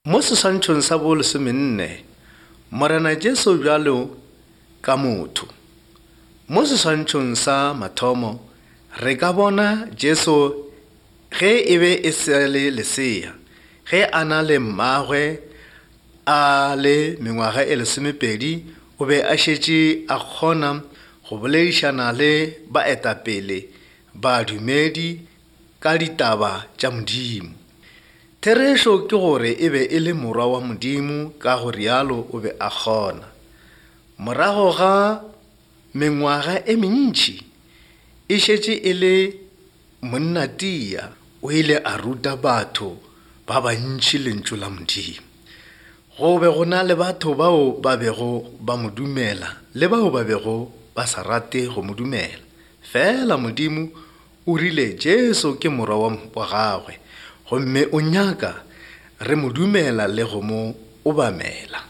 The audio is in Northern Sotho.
Mo seswantšhong sa bolesomenne, Morena Jesu bjalo ka motho. Mo seswantšhong sa mathomo, re ka bona Jesu ge e be e sa le lesea, ge a na le mmagwe a le mengwaga e lesomepedi, o be a šetše a kgona go boledišana le baetapele badumedi ka ditaba tša Modimo. Therešo ke gore e be e le morwa wa Modimo, ka go rialo o be a kgona. Morago ga mengwaga e mentši e šetše e le monnatia, o ile a ruta batho ba bantši lentšu la Modimo. Go be go na le batho bao ba bego ba mo dumela le bao ba bego ba sa rate go mo dumela. Fela Modimo o rile Jesu ke morwa wa, wa gagwe gomme o nyaka re mo dumela le go mo obamela.